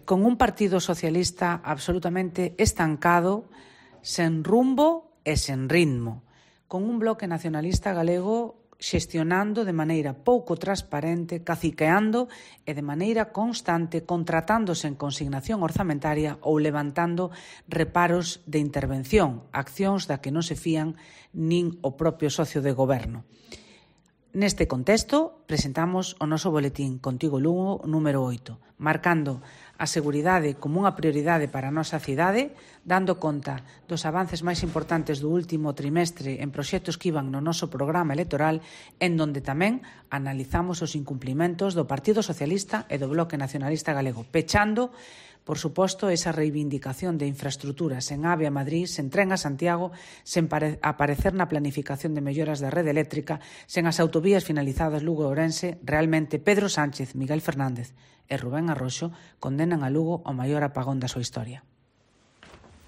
con un Partido Socialista absolutamente estancado, sen rumbo e sen ritmo, con un bloque nacionalista galego xestionando de maneira pouco transparente, caciqueando e de maneira constante contratándose en consignación orzamentaria ou levantando reparos de intervención, accións da que non se fían nin o propio socio de goberno. Neste contexto, presentamos o noso boletín Contigo Lugo número 8, marcando a seguridade como unha prioridade para a nosa cidade, dando conta dos avances máis importantes do último trimestre en proxectos que iban no noso programa electoral, en donde tamén analizamos os incumplimentos do Partido Socialista e do Bloque Nacionalista Galego, pechando, por suposto, esa reivindicación de infraestructuras en AVE a Madrid, sen tren a Santiago, sen aparecer na planificación de melloras da rede eléctrica, sen as autovías finalizadas Lugo e Ourense. Realmente Pedro Sánchez, Miguel Fernández e Rubén Arroxo condenan a Lugo ao maior apagón da súa historia.